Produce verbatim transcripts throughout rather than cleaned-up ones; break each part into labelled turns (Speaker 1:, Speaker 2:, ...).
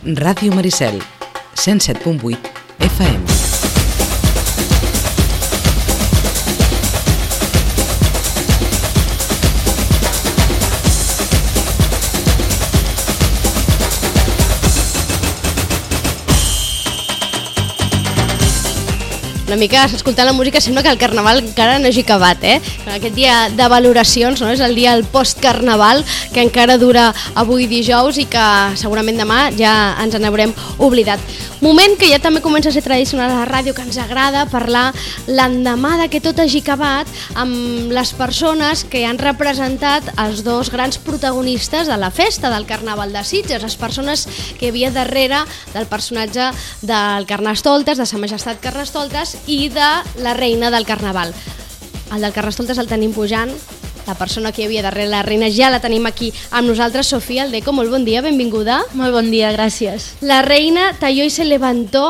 Speaker 1: Ràdio Maricel, cent set punt vuit F M.
Speaker 2: Una mica, escoltant la música, sembla que el Carnaval encara no hagi acabat, eh? Aquest dia de valoracions, no? És el dia del post-Carnaval, que encara dura avui dijous i que segurament demà ja ens n'haurem oblidat. Moment que ja també comença a ser tradicional a la ràdio, que ens agrada parlar l'endemà de que tot hagi acabat amb les persones que han representat els dos grans protagonistes de la festa del Carnaval de Sitges, les persones que hi havia darrere del personatge del Carnestoltes, de Sa Majestat Carnestoltes, i de la reina del Carnaval. El del Carnestoltes el tenim pujant, la persona que hi havia darrere la reina ja la tenim aquí amb nosaltres, Sofia Aldeco, molt bon dia, benvinguda.
Speaker 3: Molt bon dia, gràcies.
Speaker 2: La reina talló i se levantó,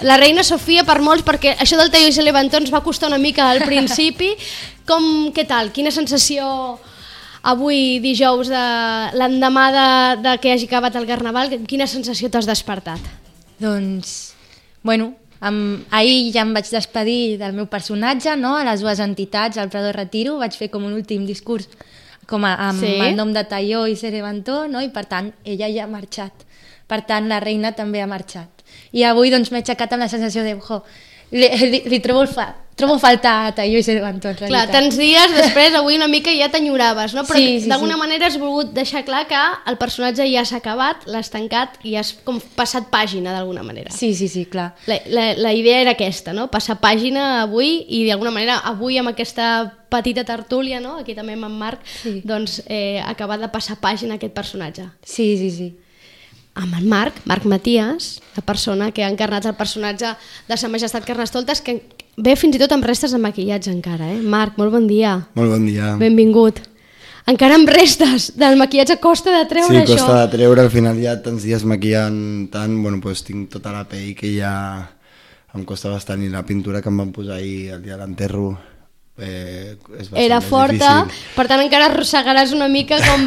Speaker 2: la reina Sofia per molts, perquè això del talló i se levantó ens va costar una mica al principi. Com, què tal? Quina sensació avui dijous, de l'endemà de, de que hagi acabat el Carnaval, quina sensació t'has despertat?
Speaker 3: Doncs, bueno, Amb, ahir ja em vaig despedir del meu personatge, no? A les dues entitats, al Prado Retiro, vaig fer com un últim discurs com a, amb sí? el nom de Talló i se levantó, no? I per tant ella ja ha marxat, per tant la reina també ha marxat. I avui doncs m'he aixecat amb la sensació de jo, li, li, li trobo, fa, trobo faltar a Talló i se levantó, en realitat.
Speaker 2: Clar, tants dies després, avui una mica ja t'enyoraves, no? Però
Speaker 3: sí, sí,
Speaker 2: d'alguna
Speaker 3: sí.
Speaker 2: manera has volgut deixar clar que el personatge ja s'ha acabat, l'has tancat i has com passat pàgina d'alguna manera.
Speaker 3: Sí, sí, sí, clar.
Speaker 2: La, la, la idea era aquesta, no? Passar pàgina avui i d'alguna manera avui amb aquesta petita tertúlia, no? Aquí també amb en Marc, sí. doncs eh, acabar de passar pàgina a aquest personatge.
Speaker 3: Sí, sí, sí.
Speaker 2: Amb en Marc, Marc Matías, la persona que ha encarnat el personatge de Sa Majestat Carnestoltes, que ve fins i tot amb restes de maquillatge encara, eh? Marc, molt bon dia.
Speaker 4: Molt bon dia.
Speaker 2: Benvingut. Encara amb restes del maquillatge, costa de treure
Speaker 4: sí,
Speaker 2: això?
Speaker 4: Sí, costa de treure, al final ja tants dies maquillant tant, bueno, doncs tinc tota la pell que ja em costa bastant, i la pintura que em van posar ahir el dia de l'enterro eh, és bastant
Speaker 2: era forta,
Speaker 4: difícil.
Speaker 2: Per tant encara arrossegaràs una mica com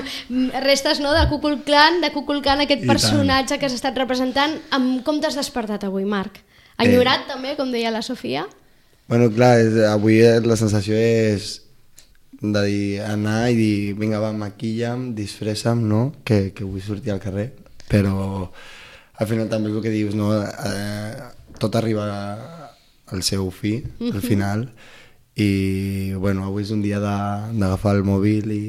Speaker 2: restes, no?, de Kukulkan, de Kukulkan, aquest
Speaker 4: I
Speaker 2: personatge
Speaker 4: tant.
Speaker 2: que s'ha estat representant. Amb com t'has despertat avui, Marc? Enyorat eh. també, com deia la Sofia?
Speaker 4: Bueno, clar, és, avui la sensació és de dir, anar i dir, vinga, va, maquilla'm, disfressa'm, no?, que, que vull sortir al carrer, però al final també és el que dius, no?, eh, tot arriba al seu fi, uh-huh. al final, i bueno, avui és un dia d'agafar el mòbil i,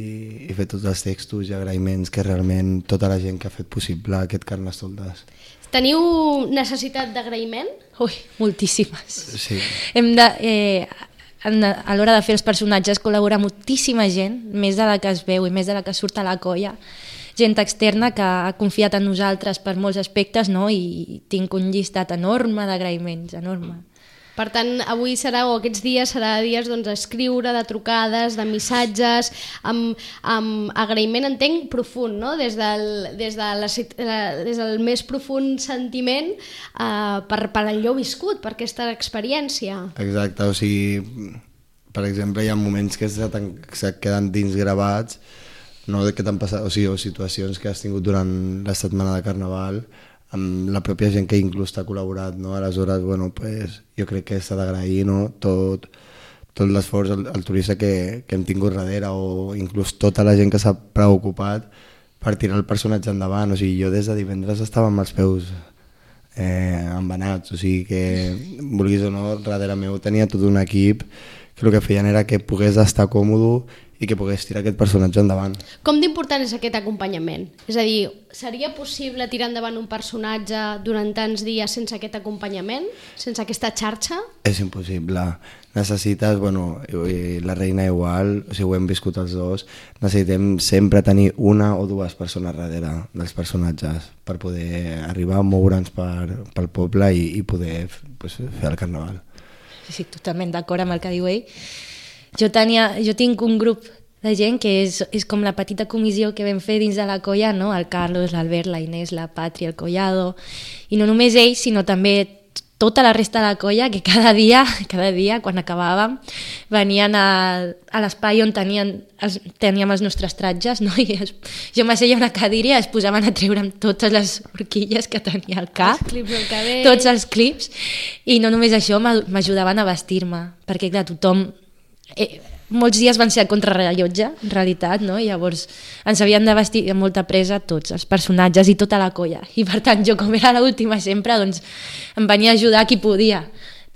Speaker 4: i fer tots els textos i agraïments que realment tota la gent que ha fet possible aquest Carnestoltes.
Speaker 2: Teniu necessitat d'agraïment?
Speaker 3: Ui, moltíssimes.
Speaker 4: Sí.
Speaker 3: Hem de, eh, a l'hora de fer els personatges col·labora moltíssima gent, més de la que es veu i més de la que surt a la colla, gent externa que ha confiat en nosaltres per molts aspectes, no? I tinc un llistat enorme d'agraïments, enorme.
Speaker 2: Per tant, avui serà, o aquests dies serà dies doncs, d'escriure, de trucades, de missatges, amb, amb agraïment, entenc, profund, no? Des del, des de la, des del més profund sentiment eh, per, per allò viscut, per aquesta experiència.
Speaker 4: Exacte, o sigui, per exemple, hi ha moments que se, se queden dins gravats, no, que t'han passat, o sigui, o situacions que has tingut durant la setmana de Carnaval, amb la pròpia gent que inclús t'ha col·laborat, no? Aleshores, bueno, pues, jo crec que s'ha d'agrair, no? tot, tot l'esforç, el, el turista que, que hem tingut darrere, o inclús tota la gent que s'ha preocupat per tirar el personatge endavant. O sigui, jo des de divendres estava amb els peus eh, embenats, o sigui que, vulguis o no, darrere meu tenia tot un equip que el que feien era que pogués estar còmode i que pogués tirar aquest personatge endavant.
Speaker 2: Com d'important és aquest acompanyament? És a dir, seria possible tirar endavant un personatge durant tants dies sense aquest acompanyament? Sense aquesta xarxa?
Speaker 4: És impossible. Necessites, bueno, la reina igual, o sigui, ho hem viscut els dos, necessitem sempre tenir una o dues persones darrere dels personatges per poder arribar a moure'ns per, pel poble i, i poder pues, fer el Carnaval.
Speaker 3: Sí, sí, totalment d'acord amb el que diu ell. Jo, tenia, jo tinc un grup de gent que és, és com la petita comissió que vam fer dins de la colla, no? El Carlos, l'Albert, la Inés, la Patri, el Collado, i no només ells, sinó també tota la resta de la colla, que cada dia, cada dia quan acabàvem, venien a, a l'espai on tenien, els, teníem els nostres tratges, no? I es, jo m'asseia a una cadira i es posaven a treure'm totes les horquilles que tenia al cap,
Speaker 2: els clips del cabell,
Speaker 3: tots els clips, i no només això, m'ajudaven a vestir-me, perquè clar, tothom... Eh, molts dies van ser a contrarrellotge, en realitat, no? I llavors ens havien de vestir amb molta presa tots, els personatges i tota la colla. I per tant, jo com era l'última sempre, doncs em venia a ajudar qui podia.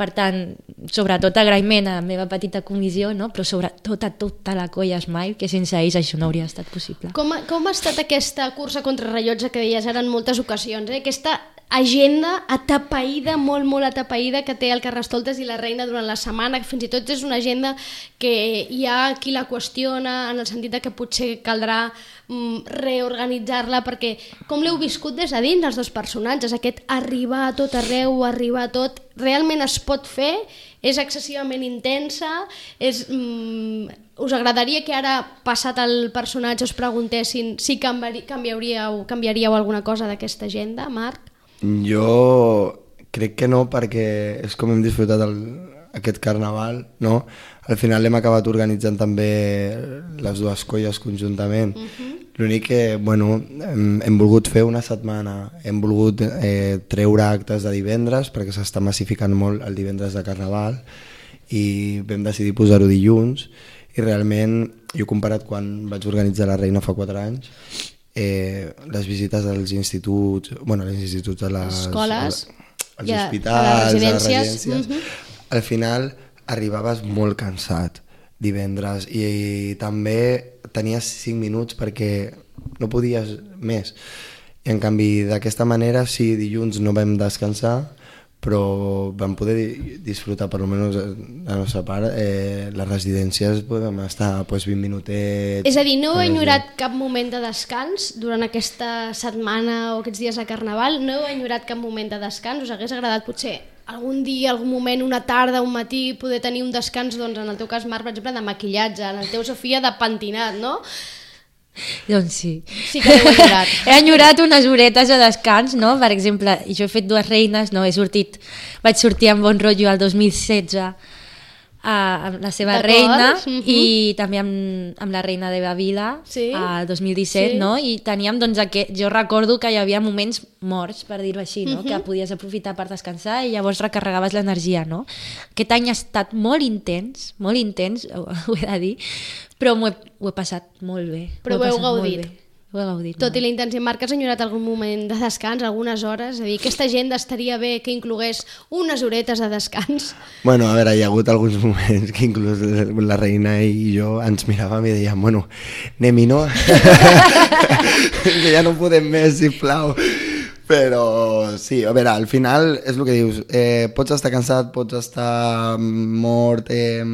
Speaker 3: Per tant, sobretot agraïment a la meva petita comissió, no? Però sobretot a tota la colla Smile, que sense ells això no hauria estat possible.
Speaker 2: Com, com ha estat aquesta cursa contrarrellotge que deies ara en moltes ocasions? Eh? Aquesta agenda atapeïda, molt, molt atapeïda que té el Carnestoltes i la Reina durant la setmana, que fins i tot és una agenda que hi ha qui la qüestiona en el sentit de que potser caldrà mm, reorganitzar-la, perquè com l'heu viscut des de dins els dos personatges, aquest arribar a tot arreu, arribar a tot, realment es pot fer? És excessivament intensa? És, mm, us agradaria que ara, passat el personatge, us preguntessin si canviaríeu, canviaríeu, canviaríeu alguna cosa d'aquesta agenda, Marc?
Speaker 4: Jo crec que no, perquè és com hem disfrutat el, aquest carnaval, no? Al final l'hem acabat organitzant també les dues colles conjuntament. Uh-huh. L'únic que, bueno, hem, hem volgut fer una setmana, hem volgut eh, treure actes de divendres, perquè s'està massificant molt el divendres de carnaval, i vam decidir posar-ho dilluns, i realment, jo he comparat quan vaig organitzar la Reina fa quatre anys, Eh, les visites als instituts, bueno, als instituts, a les
Speaker 2: escoles,
Speaker 4: als
Speaker 2: ja,
Speaker 4: hospitals,
Speaker 2: a les residències,
Speaker 4: a les residències.
Speaker 2: Uh-huh.
Speaker 4: Al final arribaves molt cansat divendres i, i també tenies cinc minuts perquè no podies més. I en canvi d'aquesta manera sí, dilluns no vam descansar, però vam poder disfrutar, per almenys la nostra part, eh, les residències podem estar pues, vint minutets...
Speaker 2: És a dir, no heu enyorat cap moment de descans durant aquesta setmana o aquests dies de Carnaval? No heu enyorat cap moment de descans? Us hagués agradat potser algun dia, algun moment, una tarda, un matí, poder tenir un descans, doncs en el teu cas, Marc, per exemple, de maquillatge, en el teu, Sofia, de pentinat, no?
Speaker 3: Doncs sí.
Speaker 2: Sí que l'heu enyorat.
Speaker 3: He enyorat unes horetes de descans, no? Per exemple, jo he fet dues reines, no? He sortit, vaig sortir amb Bon Rotllo el dos mil setze a, amb la seva reina, uh-huh. i també amb, amb la reina de Bavila,
Speaker 2: sí.
Speaker 3: el dos mil disset, sí. No? I teníem, doncs, aquest, jo recordo que hi havia moments morts, per dir-ho així, no? Uh-huh. Que podies aprofitar per descansar i llavors recarregaves l'energia, no? Aquest any ha estat molt intens, molt intens, ho, ho he de dir, però ho he, ho he passat molt bé.
Speaker 2: Però ho, ho heu gaudit.
Speaker 3: Ho he gaudit.
Speaker 2: Tot molt. I la intensitat. Marc, has enyorat algun moment de descans, algunes hores? És a dir, aquesta agenda estaria bé que inclogués unes horetes de descans?
Speaker 4: Bueno, a veure, hi ha hagut alguns moments que inclús la Reina i jo ens miràvem i dèiem, bueno, anem-hi, no? Que ja no podem més, sisplau. Però sí, a veure, al final és el que dius, eh, pots estar cansat, pots estar mort, eh,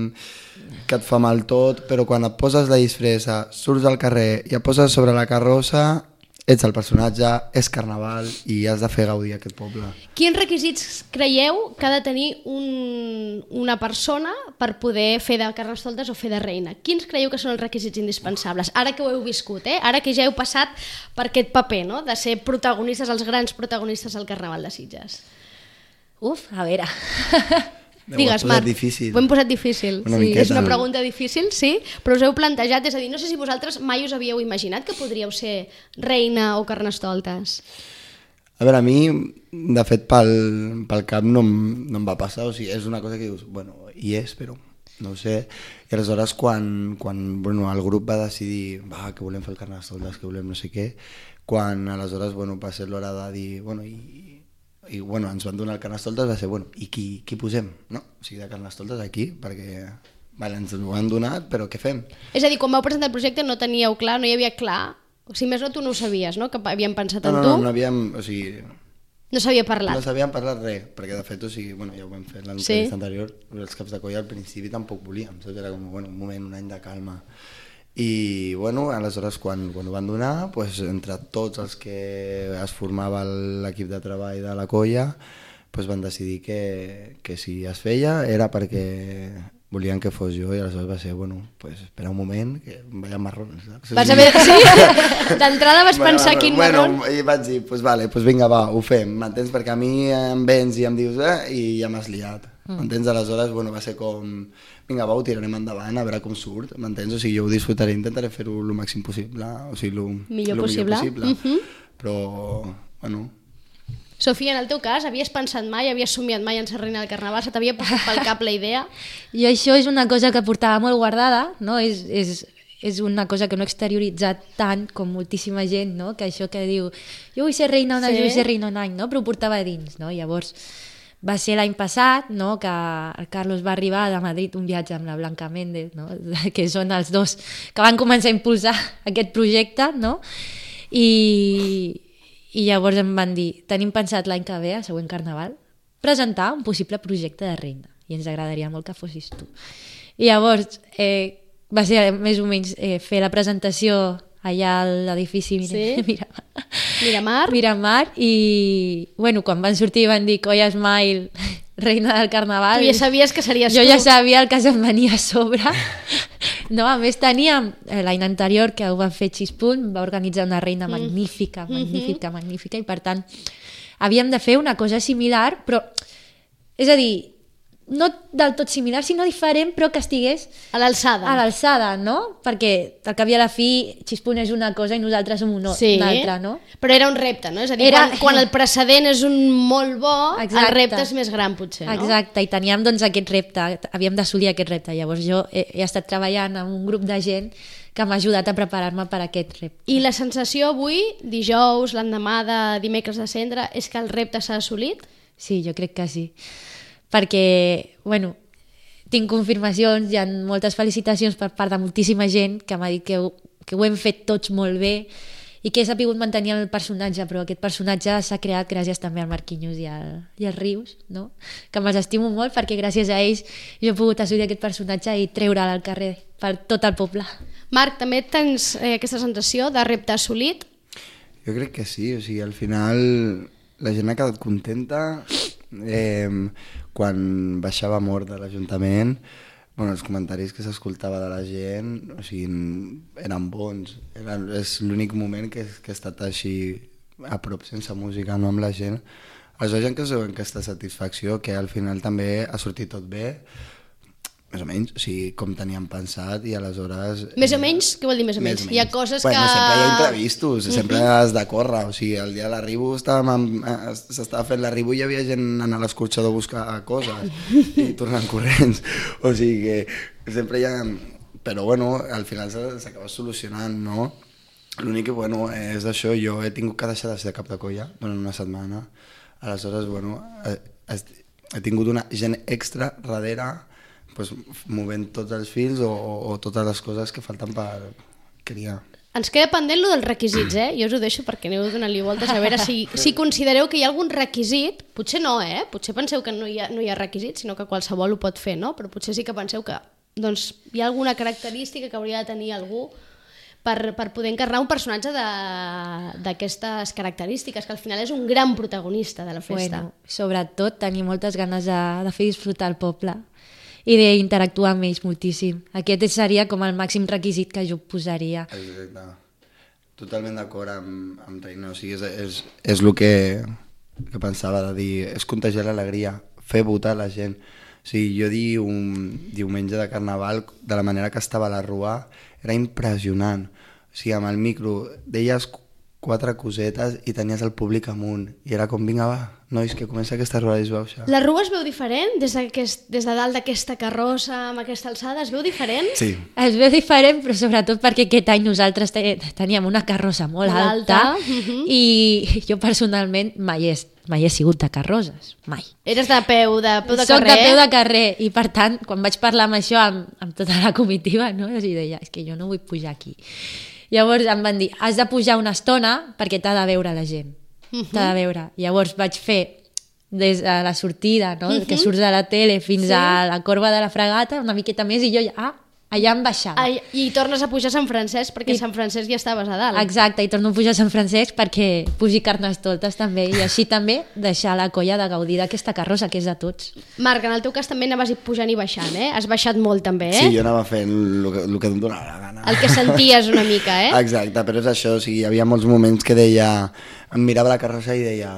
Speaker 4: que et fa mal tot, però quan et poses la disfressa, surts al carrer i et poses sobre la carrossa, ets el personatge, és carnaval i has de fer gaudir aquest poble.
Speaker 2: Quins requisits creieu que ha de tenir un, una persona per poder fer de Carnestoltes o fer de reina? Quins creieu que són els requisits indispensables? Ara que ho heu viscut, eh? Ara que ja heu passat per aquest paper, no? De ser protagonistes, els grans protagonistes del Carnaval de Sitges.
Speaker 3: Uf, a veure...
Speaker 2: Digues, Marc,
Speaker 4: difícil.
Speaker 2: ho hem posat difícil.
Speaker 4: Una
Speaker 2: sí,
Speaker 4: miqueta.
Speaker 2: És una pregunta difícil, sí, però us heu plantejat, és a dir, no sé si vosaltres mai us havíeu imaginat que podríeu ser reina o Carnestoltes.
Speaker 4: A veure, a mi, de fet, pel, pel cap no, em- no em va passar, o sigui, és una cosa que dius, bueno, hi és, però no ho sé. I aleshores, quan, quan bueno, el grup va decidir, va, que volem fer el Carnestoltes, que volem no sé què, quan aleshores, bueno, va ser l'hora de dir, bueno, i... i bueno, ens van donar el Carnestoltes, va ser, bueno, i qui, qui posem, no? O sigui, de Carnestoltes aquí, perquè vale, ens ho han donat, però què fem?
Speaker 2: És a dir, quan vau presentar el projecte no teníeu clar, no hi havia clar, o si més no tu no ho sabies, no? Que havien pensat
Speaker 4: No,
Speaker 2: en
Speaker 4: no,
Speaker 2: tu,
Speaker 4: no, no havíem, o sigui,
Speaker 2: no s'havia parlat.
Speaker 4: no sabíem parlat res, perquè de fet, o sigui, bueno, ja ho vam fer l'entrevista sí. anterior, els caps de colla al principi tampoc volíem, saps? Era com, bueno, un moment, un any de calma. I, bueno, aleshores, quan, quan ho van donar, pues, entre tots els que es formava l'equip de treball de la colla, pues, van decidir que, que si es feia era perquè volien que fos jo, i aleshores va ser, bueno, pues, espera un moment, que vaya marrón, saps?
Speaker 2: Vas haver, sí? d'entrada vas
Speaker 4: bueno,
Speaker 2: pensar
Speaker 4: bueno,
Speaker 2: quin
Speaker 4: bueno,
Speaker 2: marrón...
Speaker 4: I vaig dir, pues vale, pues vinga, va, ho fem, m'entens? Perquè a mi em vens i em dius, eh, i ja m'has liat. Mm. M'entens? Aleshores, bueno, va ser com... Vinga, va, ho tirarem endavant, a veure com surt, m'entens? O sigui, jo ho disfrutaré, intentaré fer-ho el màxim possible, o sigui, el
Speaker 2: millor
Speaker 4: lo
Speaker 2: possible.
Speaker 4: Millor possible. Mm -hmm. Però, bueno...
Speaker 2: Sofia, en el teu cas, havies pensat mai, havies somiat mai en ser reina del Carnaval? Se t'havia passat pel cap la idea?
Speaker 3: Jo això és una cosa que portava molt guardada, no? És, és, és una cosa que no he exterioritzat tant com moltíssima gent, no? Que això que diu, jo vull ser reina un any, sí. vull ser reina un any, no? Però ho portava a dins, no? Llavors, va ser l'any passat, no? Que el Carlos va arribar de Madrid un viatge amb la Blanca Méndez, no? Que són els dos que van començar a impulsar aquest projecte, no? I... I llavors em van dir, tenim pensat l'any que ve, el següent Carnaval, presentar un possible projecte de reina i ens agradaria molt que fossis tu. I llavors eh, va ser més o menys eh, fer la presentació allà a l'edifici Mir
Speaker 2: sí?
Speaker 3: Miramar.
Speaker 2: Miramar.
Speaker 3: Miramar i bueno, quan van sortir van dir Colla Smile, reina del Carnaval.
Speaker 2: Tu ja sabies que series
Speaker 3: jo
Speaker 2: tu.
Speaker 3: Jo ja sabia el que se'm venia a sobre. No, a més teníem eh, l'any anterior que ho van fer Xispunt, va organitzar una reina mm. magnífica, magnífica, mm -hmm. magnífica i per tant havíem de fer una cosa similar, però és a dir, no del tot similar, sinó diferent, però que estigués
Speaker 2: a l'alçada.
Speaker 3: A l'alçada, no? Perquè al cap i a la fi Xispunt és una cosa i nosaltres som una,
Speaker 2: sí,
Speaker 3: una altra, no?
Speaker 2: Però era un repte, no? És a dir,
Speaker 3: era...
Speaker 2: quan, quan el precedent és un molt bo, exacte. El repte és més gran, potser, no?
Speaker 3: Exacte, i teníem doncs aquest repte, havíem d'assolir aquest repte. Llavors jo he, he estat treballant amb un grup de gent que m'ha ajudat a preparar-me per aquest repte.
Speaker 2: I la sensació avui, dijous, l'endemà de dimecres de cendre, és que el repte s'ha assolit?
Speaker 3: Sí, jo crec que sí. Perquè, bueno, tinc confirmacions, hi ha moltes felicitacions per part de moltíssima gent que m'ha dit que ho, que ho hem fet tots molt bé i que he sabut mantenir el personatge, però aquest personatge s'ha creat gràcies també al Marquinhos i al, i al Rius, no? Que me'ls estimo molt perquè gràcies a ells jo he pogut assolir aquest personatge i treure'l al carrer per tot el poble.
Speaker 2: Marc, també tens eh, aquesta sensació de repte assolit?
Speaker 4: Jo crec que sí, o sigui, al final la gent ha quedat contenta. Eh, quan baixava mort de l'Ajuntament, bueno, els comentaris que s'escoltava de la gent, o sigui, eren bons. Era, és l'únic moment que, que he estat així a prop sense música, no amb la gent. Aleshores, gent que es veuen aquesta satisfacció, que al final també ha sortit tot bé, més o menys, o sigui, com teníem pensat, i aleshores...
Speaker 2: Més o menys? Què vol dir més o menys? Més o menys. Hi ha coses
Speaker 4: bueno,
Speaker 2: que...
Speaker 4: Sempre hi ha imprevistos, sempre uh -huh. has de córrer, o sigui, el dia de l'arribo s'estava fent l'arribo i hi havia gent anant a l'escorxador a buscar coses i tornant corrents, o sigui que sempre hi ha... Però bueno, al final s'acaba solucionant, no? L'únic que, bueno, és això, jo he tingut que deixar de ser cap de colla durant una setmana, aleshores, bueno, he, he tingut una gent extra darrere pues, movent tots els fils o, o, o totes les coses que falten per criar.
Speaker 2: Ens queda pendent lo dels requisits, eh? Jo us ho deixo perquè aneu donant-li voltes a veure si, si considereu que hi ha algun requisit, potser no, eh? Potser penseu que no hi ha, no hi ha requisits, sinó que qualsevol ho pot fer, no? Però potser sí que penseu que doncs, hi ha alguna característica que hauria de tenir algú per, per poder encarnar un personatge d'aquestes característiques, que al final és un gran protagonista de la festa.
Speaker 3: Bueno, sobretot tenir moltes ganes de, de fer disfrutar el poble i d'interactuar amb ells moltíssim. Aquest seria com el màxim requisit que jo posaria.
Speaker 4: Exacte. Totalment d'acord amb, amb Reina. O sigui, és, és, és el que, que pensava de dir, és contagiar l'alegria, fer votar la gent. O sigui, jo dir un diumenge de Carnaval, de la manera que estava a la Rua, era impressionant. O sigui, amb el micro deies quatre cosetes i tenies el públic amunt. I era com, vinga, va, nois, que comença aquesta Rua i es veu això.
Speaker 2: La Rua es veu diferent? Des, des de dalt d'aquesta carrossa, amb aquesta alçada, es veu diferent?
Speaker 4: Sí.
Speaker 3: Es veu diferent, però sobretot perquè aquest any nosaltres teníem una carrossa molt, molt alta, alta. Uh-huh. I jo personalment mai he, mai he sigut de carrosses, mai.
Speaker 2: Eres de peu de, peu de
Speaker 3: Soc
Speaker 2: carrer?
Speaker 3: Soc de peu de carrer, i per tant, quan vaig parlar amb això, amb, amb tota la comitiva, no? Jo deia, és que jo no vull pujar aquí. Llavors em van dir, has de pujar una estona perquè t'ha de veure la gent. Uh-huh. T'ha de veure. Llavors vaig fer des de la sortida, no? Uh-huh. Que surts de la tele fins sí. a la corba de la Fragata, una miqueta més, i jo ja, ah, allà en baixada.
Speaker 2: Ai, I tornes a pujar a Sant Francesc perquè I... Sant Francesc ja estaves a dalt.
Speaker 3: Exacte, i torno a pujar a Sant Francesc perquè pugi Carnestoltes també, i així també deixar la colla de gaudir d'aquesta carrossa que és de tots.
Speaker 2: Marc, en el teu cas també anaves pujant i baixant, eh? Has baixat molt també, eh?
Speaker 4: Sí, jo anava fent el que, el que em donava la gana.
Speaker 2: El que senties una mica, eh?
Speaker 4: Exacte, però és això, o sigui, hi havia molts moments que deia, em mirava la carrossa i deia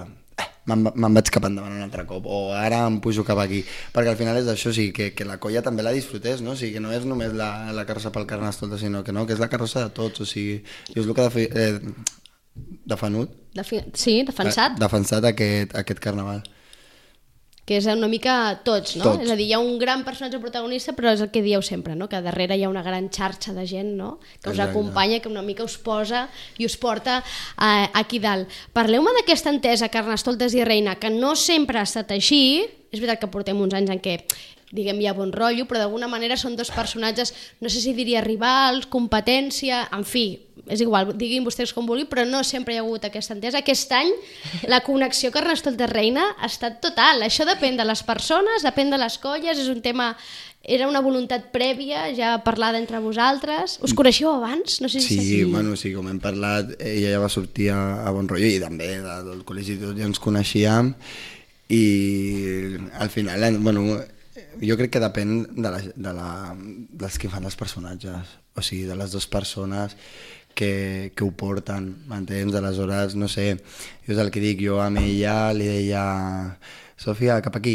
Speaker 4: me'n me vaig cap endavant un altre cop, o ara em pujo cap aquí, perquè al final és això, o sigui, que, que la colla també la disfrutés, no? O sigui, que no és només la, la carrossa pel Carnestoltes, sinó que no, que és la carrossa de tots, o sigui, i és el que de, eh, defenut,
Speaker 2: Defi sí, defensat.
Speaker 4: Eh, defensat aquest, aquest carnaval.
Speaker 2: Que és una mica tots, no?
Speaker 4: Tots.
Speaker 2: És a dir, hi ha un gran personatge protagonista, però és el que dieu sempre, no? Que darrere hi ha una gran xarxa de gent, no? Que us
Speaker 4: Exacte.
Speaker 2: acompanya, que una mica us posa i us porta eh, aquí dalt. Parleu-me d'aquesta entesa Carnestoltes i Reina, que no sempre ha estat així. És veritat que portem uns anys en què, diguem, hi ha bon rotllo, però d'alguna manera són dos personatges, no sé si diria rivals, competència, en fi, és igual, diguin vostès com vulguin, però no sempre hi ha hagut aquesta entesa. Aquest any la connexió Carnestoltes-Reina ha estat total. Això depèn de les persones, depèn de les colles, és un tema... Era una voluntat prèvia, ja parlada entre vosaltres. Us coneixeu abans? No sé si
Speaker 4: Sí,
Speaker 2: sí.
Speaker 4: bueno, sí, com hem parlat, ella ja va sortir a, a Bon Rotllo i també de, del col·legi tots ja ens coneixíem, i al final, bueno, jo crec que depèn de, la, de, la, de les que fan els personatges, o sigui, de les dues persones que, que ho porten, m'entens? Aleshores, no sé, jo és el que dic, jo a ella li deia Sòfia, cap aquí,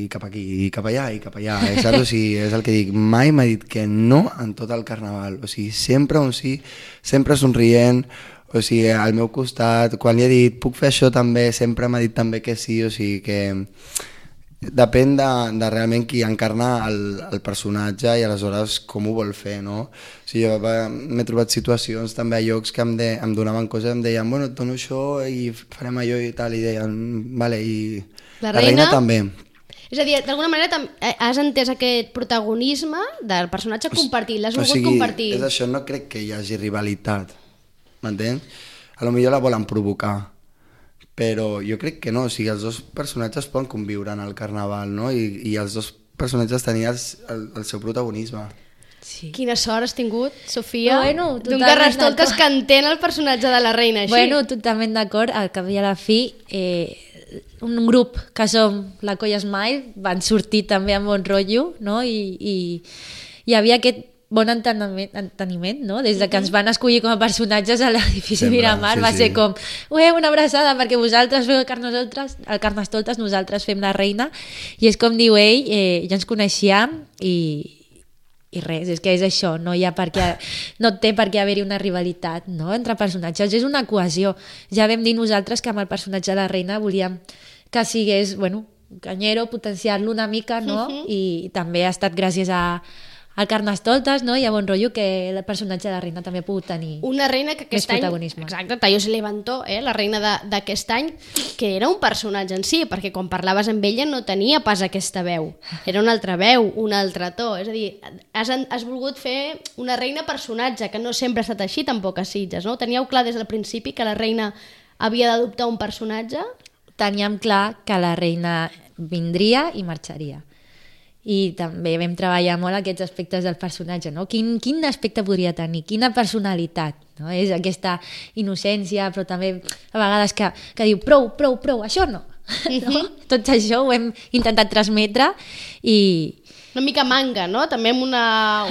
Speaker 4: i cap aquí, i cap allà, i cap allà, eh, saps? O sigui, és el que dic, mai m'ha dit que no en tot el carnaval, o sigui, sempre un sí, sempre somrient, o sigui, al meu costat, quan li he dit puc fer això també, sempre m'ha dit també que sí, o sigui que depèn de, de realment qui encarna el, el personatge i aleshores com ho vol fer, no? O sigui, jo m'he trobat situacions també a llocs que em, de, em donaven coses, em deien, bueno, et dono això i farem allò i tal, i deien, vale, i
Speaker 2: la
Speaker 4: la
Speaker 2: reina,
Speaker 4: reina també.
Speaker 2: És a dir, d'alguna manera has entès aquest protagonisme del personatge compartit, l'has volgut
Speaker 4: o sigui,
Speaker 2: compartir.
Speaker 4: És això, no crec que hi hagi rivalitat, m'entens? A lo millor la volen provocar, però jo crec que no, o sigui, els dos personatges poden conviure en el carnaval, no? I, i els dos personatges tenien el, el, el seu protagonisme.
Speaker 3: Sí.
Speaker 2: Quina sort has tingut, Sofia,
Speaker 3: bueno,
Speaker 2: d'un Carnestoltes que entén el personatge de la reina així.
Speaker 3: Bueno, totalment d'acord, al cap i a la fi, eh, un grup que som la Colla Smile van sortir també amb bon rotllo, no? I, i hi havia aquest bon enteniment, enteniment, no? Des de que ens van escollir com a personatges a l'edifici Miramar,
Speaker 4: sí,
Speaker 3: va
Speaker 4: sí.
Speaker 3: ser com, ué, una abraçada, perquè vosaltres feu el Carnestoltes, el Carnestoltes, nosaltres fem la reina, i és com diu ell, eh, ja ens coneixíem i, i res, és que és això, no hi ha per què, no té per què haver-hi una rivalitat, no?, entre personatges, és una cohesió. Ja vam dir nosaltres que amb el personatge de la reina volíem que sigués, bueno, canyero, potenciar-lo una mica, no?, uh-huh. I també ha estat gràcies a al Carnestoltes, no? I a bon rotllo que el personatge de la reina també ha pogut tenir
Speaker 2: una reina que aquest
Speaker 3: més
Speaker 2: any,
Speaker 3: protagonisme.
Speaker 2: exacte, Tayo se levantó, eh, la reina d'aquest any, que era un personatge en si, perquè quan parlaves amb ella no tenia pas aquesta veu, era una altra veu, un altre to, és a dir, has, has volgut fer una reina personatge, que no sempre ha estat així tampoc a Sitges, no? Teníeu clar des del principi que la reina havia d'adoptar un personatge?
Speaker 3: Teníem clar que la reina vindria i marxaria. I també vam treballar molt aquests aspectes del personatge, no? Quin, quin aspecte podria tenir, quina personalitat, no? És aquesta innocència, però també a vegades que, que diu prou, prou, prou, això no.
Speaker 2: Uh-huh.
Speaker 3: No? Tot això ho hem intentat transmetre i...
Speaker 2: Una mica manga, no? També amb una...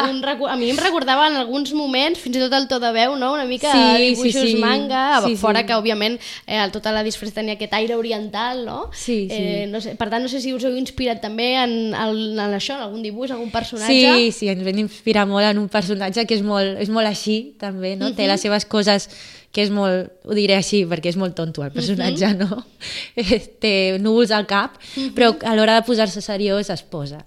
Speaker 2: Un, a mi em recordava en alguns moments, fins i tot el to de veu, no? Una mica
Speaker 3: sí,
Speaker 2: dibuixos
Speaker 3: sí, sí.
Speaker 2: manga,
Speaker 3: sí,
Speaker 2: fora
Speaker 3: sí.
Speaker 2: que, òbviament, eh, tota la disfressa tenia aquest aire oriental, no?
Speaker 3: Sí, sí.
Speaker 2: Eh, no sé, per tant, no sé si us heu inspirat també en, en, en això, en algun dibuix, algun personatge.
Speaker 3: Sí, sí, ens vam inspirar molt en un personatge que és molt, és molt així, també, no? Uh-huh. Té les seves coses que és molt, ho diré així, perquè és molt tonto el personatge, uh-huh. no? Té núvols al cap, uh-huh. però a l'hora de posar-se seriós es posa.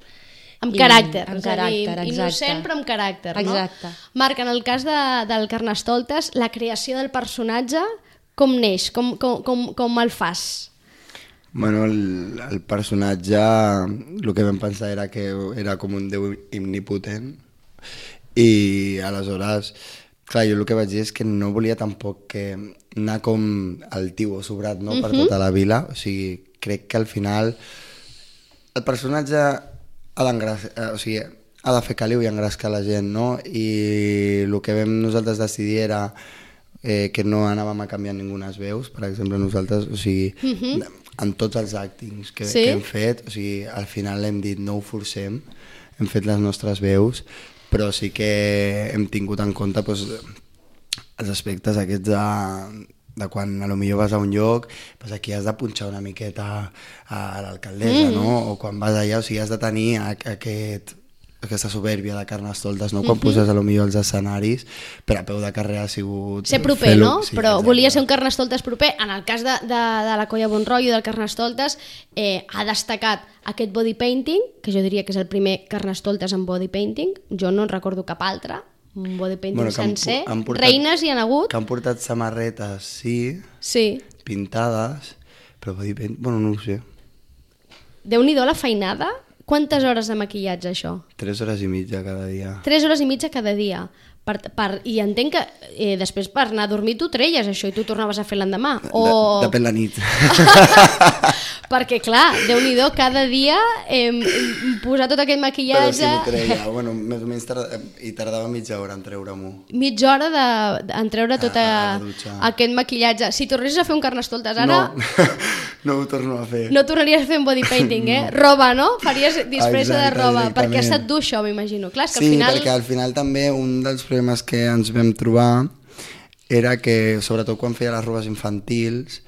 Speaker 2: Amb caràcter,
Speaker 3: amb
Speaker 2: és a
Speaker 3: caràcter,
Speaker 2: dir,
Speaker 3: exacte.
Speaker 2: innocent però amb caràcter, no?
Speaker 3: Exacte.
Speaker 2: Marc, en el cas de, del Carnestoltes, la creació del personatge, com neix? Com, com, com, com el fas?
Speaker 4: Bueno, el, el personatge, el que vam pensar era que era com un déu omnipotent i aleshores, clar, jo el que vaig dir és que no volia tampoc que anar com altiu o sobrat, no?, per tota la vila, o sigui, crec que al final el personatge ha d'engràcia, o sigui, ha de fer caliu i engrescar la gent, no? I el que vam nosaltres decidir era eh, que no anàvem a canviar ningú les veus, per exemple, nosaltres, o sigui, uh-huh. en tots els actings que, sí? que hem fet, o sigui, al final hem dit no ho forcem, hem fet les nostres veus, però sí que hem tingut en compte doncs, els aspectes aquests de, de quan a lo millor vas a un lloc, doncs aquí has de punxar una miqueta a l'alcaldessa, mm. no? O quan vas allà, o sigui, has de tenir aquest, aquesta soberbia de Carnestoltes, no? Quan mm-hmm. poses a lo millor els escenaris, però a peu de carrer ha sigut...
Speaker 2: Ser proper, no? Sí, però exacte. Volia ser un Carnestoltes proper. En el cas de, de, de la Colla Bon Rotllo del Carnestoltes, eh, ha destacat aquest body painting, que jo diria que és el primer Carnestoltes en body painting. Jo no en recordo cap altre, un body painting bueno, sencer. Han, han portat, reines hi han hagut. Que han portat samarretes, sí, sí. pintades, però body painting, bueno, no ho sé. Déu-n'hi-do la feinada. Quantes hores de maquillatge, això?
Speaker 4: Tres hores i mitja cada dia.
Speaker 2: Tres hores i mitja cada dia. Per, per, I entenc que eh, després per anar a dormir tu treies això i tu tornaves a fer l'endemà. O...
Speaker 4: De, depèn la nit.
Speaker 2: Perquè, clar, Déu-n'hi-do, cada dia eh, posar tot aquest maquillatge...
Speaker 4: Però si m'ho treia, bueno, més o menys tarda, i tardava mitja hora en treure-m'ho.
Speaker 2: Mitja hora de, en treure tot a, a aquest maquillatge. Si tornessis a fer un Carnestoltes ara...
Speaker 4: No, no ho torno a fer.
Speaker 2: No tornaries a fer un body painting, eh? No. Roba, no? Faries disfressa de roba, exactament. Perquè ha estat dur això, m'imagino. Clar, és que
Speaker 4: sí,
Speaker 2: al final...
Speaker 4: perquè al final també un dels problemes que ens vam trobar era que, sobretot quan feia les robes infantils,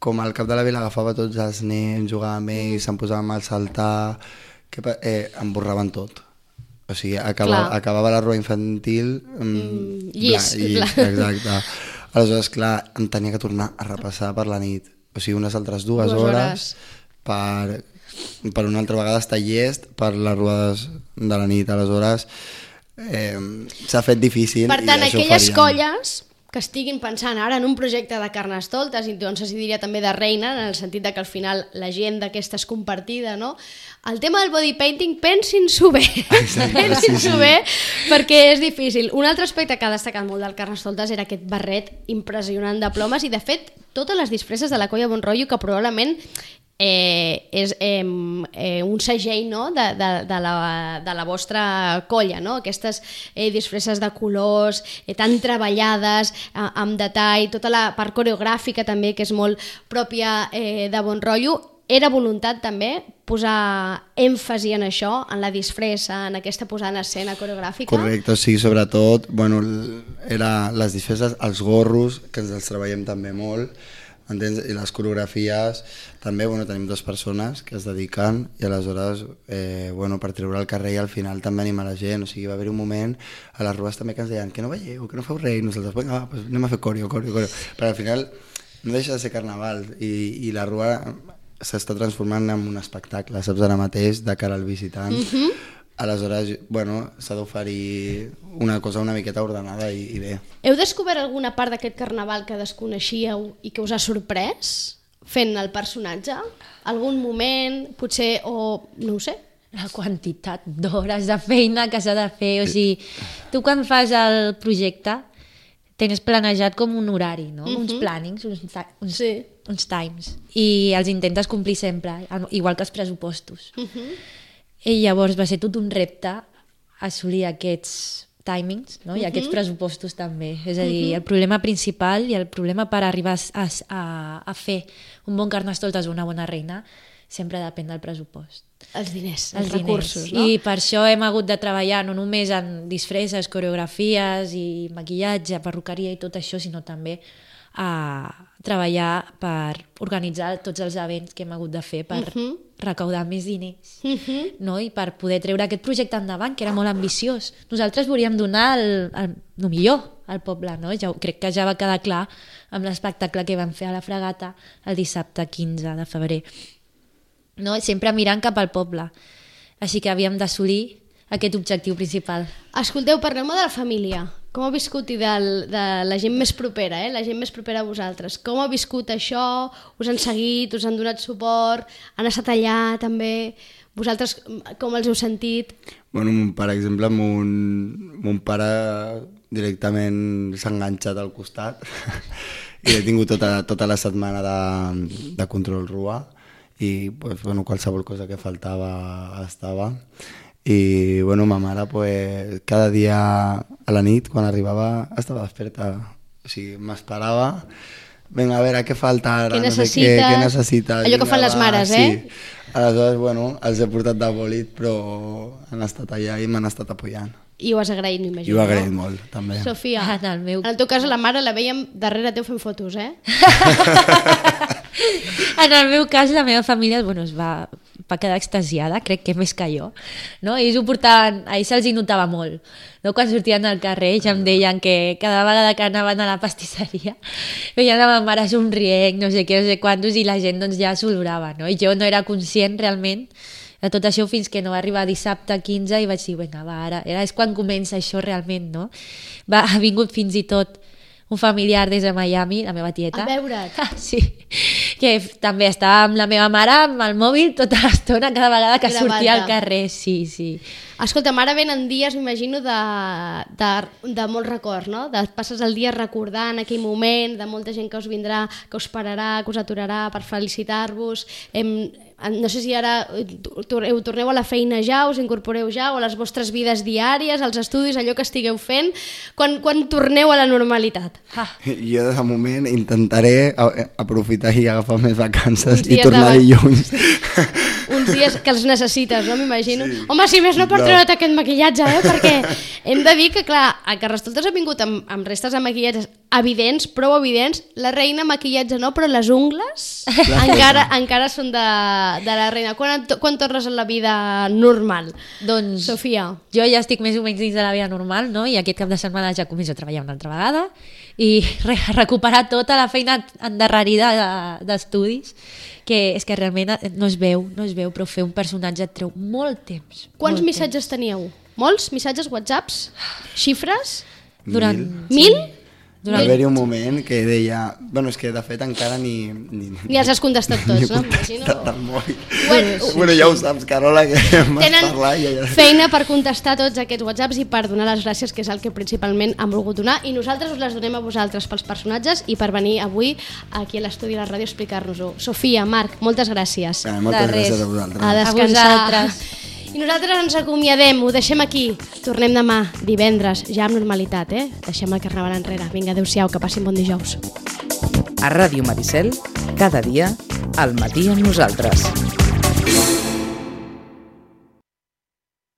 Speaker 4: com al cap de la vila agafava tots els nens, jugava amb ells, se'n posava mal saltar, que eh, em borraven tot. O sigui, acabava, acabava la roba infantil mm,
Speaker 2: llis,
Speaker 4: bla, llis exacte. Aleshores, clar, em tenia que tornar a repassar per la nit. O sigui, unes altres dues, dues hores, hores per, per una altra vegada estar llest per les robades de la nit. Aleshores, eh, s'ha fet difícil.
Speaker 2: Per tant, aquelles colles que estiguin pensant ara en un projecte de Carnestoltes, i doncs es diria també de reina, en el sentit de que al final la gent d'aquesta és compartida, no? El tema del body painting, pensin-s'ho bé, pensin-s'ho sí, sí. bé, perquè és difícil. Un altre aspecte que ha destacat molt del Carnestoltes era aquest barret impressionant de plomes, i de fet totes les disfresses de la Colla Bon Rotllo, que probablement Eh, és eh, eh, un segell, no? de, de, de, la, de la vostra colla, no? Aquestes eh, disfresses de colors eh, tan treballades, eh, amb detall, tota la part coreogràfica també, que és molt pròpia eh, de Bon Rotllo. Era voluntat també posar èmfasi en això, en la disfressa, en aquesta posada en escena coreogràfica?
Speaker 4: Correcte, sí, sobretot, bueno, era les disfresses, els gorros, que ens els treballem també molt, entens? I les coreografies també, bueno, tenim dues persones que es dediquen, i aleshores eh, bueno, per treure al carrer i al final també animar la gent. O sigui, va haver un moment a les rues també que ens deien que no veieu, que no feu res, i nosaltres, vinga, va, pues anem a fer coreo, coreo, coreo, però al final no deixa de ser carnaval, i, i la rua s'està transformant en un espectacle, saps, ara mateix, de cara al visitant. Mm-hmm. Aleshores, bueno, s'ha d'oferir una cosa una miqueta ordenada i, i bé.
Speaker 2: Heu descobert alguna part d'aquest carnaval que desconeixíeu i que us ha sorprès fent el personatge? Algun moment, potser, o no ho sé?
Speaker 3: La quantitat d'hores de feina que s'ha de fer, o sigui, tu quan fas el projecte tens planejat com un horari, no? Mm-hmm. Uns plannings, uns, uns, sí. uns times, i els intentes complir sempre, igual que els pressupostos. Mm-hmm. I llavors va ser tot un repte assolir aquests timings, no? I uh-huh. aquests pressupostos també. És a dir, uh-huh. el problema principal i el problema per arribar a, a, a fer un bon Carnestoltes o una bona reina sempre depèn del pressupost.
Speaker 2: Els diners, els,
Speaker 3: els
Speaker 2: recursos,
Speaker 3: diners. No? I per això hem hagut de treballar no només en disfresses, coreografies i maquillatge, perruqueria i tot això, sinó també a treballar per organitzar tots els events que hem hagut de fer per uh-huh. recaudar més diners, uh-huh. no? I per poder treure aquest projecte endavant, que era molt ambiciós. Nosaltres volíem donar el, el, el millor al poble, no? Ja, crec que ja va quedar clar amb l'espectacle que vam fer a la Fregata el dissabte quinze de febrer. No? Sempre mirant cap al poble. Així que havíem d'assolir aquest objectiu principal.
Speaker 2: Escolteu, parlem-me de la família. Com ha viscut i de, de la gent més propera, eh? la gent més propera a vosaltres? Com ha viscut això? Us han seguit? Us han donat suport? Han estat allà també? Vosaltres com els heu sentit?
Speaker 4: Bueno, per exemple, mon, mon pare directament s'ha enganxat al costat i he tingut tota, tota la setmana de, de control rua i pues, bueno, qualsevol cosa que faltava estava. i bueno, ma mare pues, cada dia a la nit quan arribava estava desperta, o sigui, m'esperava, vinga, a veure, què falta ara,
Speaker 2: què
Speaker 4: no sé
Speaker 2: necessites,
Speaker 4: què, què necessites,
Speaker 2: allò que fan les mares, eh?
Speaker 4: Sí. Aleshores, bueno, els he portat de bòlit, però han estat allà i m'han estat apoyant.
Speaker 2: I ho has agraït, m'imagino.
Speaker 4: I ho he agraït no? molt, també.
Speaker 2: Sofia,
Speaker 3: En el meu...
Speaker 2: en el teu cas la mare la vèiem darrere teu fent fotos, eh?
Speaker 3: En el meu cas, la meva família bueno, es va, va quedar extasiada, crec que més que jo. No? Ells ho portaven, a ells se'ls hi notava molt. No? Quan sortien al carrer ja em deien que cada vegada que anaven a la pastisseria veien la meva mare somrient, no sé què, no sé quantos, i la gent doncs, ja s'olorava. No? I jo no era conscient realment de tot això fins que no va arribar dissabte quinze i vaig dir, vinga, va, ara, ara és quan comença això realment, no? Va, ha vingut fins i tot un familiar des de Miami, la meva tieta.
Speaker 2: A veure't.
Speaker 3: Ah, sí, que també estava amb la meva mare amb el mòbil tota l'estona, cada vegada que
Speaker 2: Gravant-te.
Speaker 3: sortia al carrer, sí, sí.
Speaker 2: Escolta, ara venen dies, m'imagino, de, de, de molts records, no? De, passes el dia recordant aquell moment, de molta gent que us vindrà, que us pararà, que us aturarà per felicitar-vos. Em, no sé si ara ho torneu a la feina ja, us incorporeu ja, o a les vostres vides diàries, als estudis, allò que estigueu fent, quan, quan torneu a la normalitat?
Speaker 3: Ah.
Speaker 4: Jo de moment intentaré aprofitar i agafar més vacances i
Speaker 2: dies
Speaker 4: tornar
Speaker 2: de-
Speaker 4: dilluns.
Speaker 2: Uns dies que els necessites, no? M'imagino.
Speaker 4: Sí.
Speaker 2: Home, si més no per
Speaker 4: No.
Speaker 2: treure't aquest maquillatge, eh? Perquè hem de dir que, clar, a Carnestoltes ha vingut amb, amb restes de maquillatges evidents, prou evidents. La reina maquillatge no, però les ungles encara, encara són de, de la reina. Quan, quan tornes a la vida normal?
Speaker 3: Doncs
Speaker 2: Sofia.
Speaker 3: jo ja estic més o menys dins de la vida normal, no? I aquest cap de setmana ja començo a treballar una altra vegada i re recuperar tota la feina endarrerida de- d'estudis, que és que realment no es veu, no es veu, però fer un personatge et treu molt temps.
Speaker 2: Quants
Speaker 3: molt
Speaker 2: missatges teníeu? Molts? Missatges, whatsapps? Xifres?
Speaker 3: temps. Durant...
Speaker 2: Mil?
Speaker 4: Va haver-hi un moment que deia... Bueno, és que de fet encara ni... Ni,
Speaker 2: Ni els has contestat tots,
Speaker 4: ni he
Speaker 2: no?
Speaker 4: contestat
Speaker 2: M'imagino.
Speaker 4: al mòbil.
Speaker 2: Bueno,
Speaker 4: Bueno, ja ho saps, Carola, que m'has
Speaker 2: Tenen
Speaker 4: parlat i ja...
Speaker 2: feina per contestar tots aquests whatsapps i per donar les gràcies, que és el que principalment han volgut donar, i nosaltres us les donem a vosaltres pels personatges i per venir avui aquí a l'estudi de la ràdio a explicar-nos-ho. Sofia, Marc, moltes gràcies.
Speaker 4: Eh, moltes
Speaker 3: De res.
Speaker 4: gràcies a vosaltres.
Speaker 2: A descansar.
Speaker 3: A vosaltres.
Speaker 2: I nosaltres ens acomiadem, ho deixem aquí. Tornem demà, divendres, ja amb normalitat, eh? Deixem el carnaval enrere. Vinga, adeu-siau, que passin bon dijous.
Speaker 1: A Ràdio Maricel, cada dia, al matí amb nosaltres.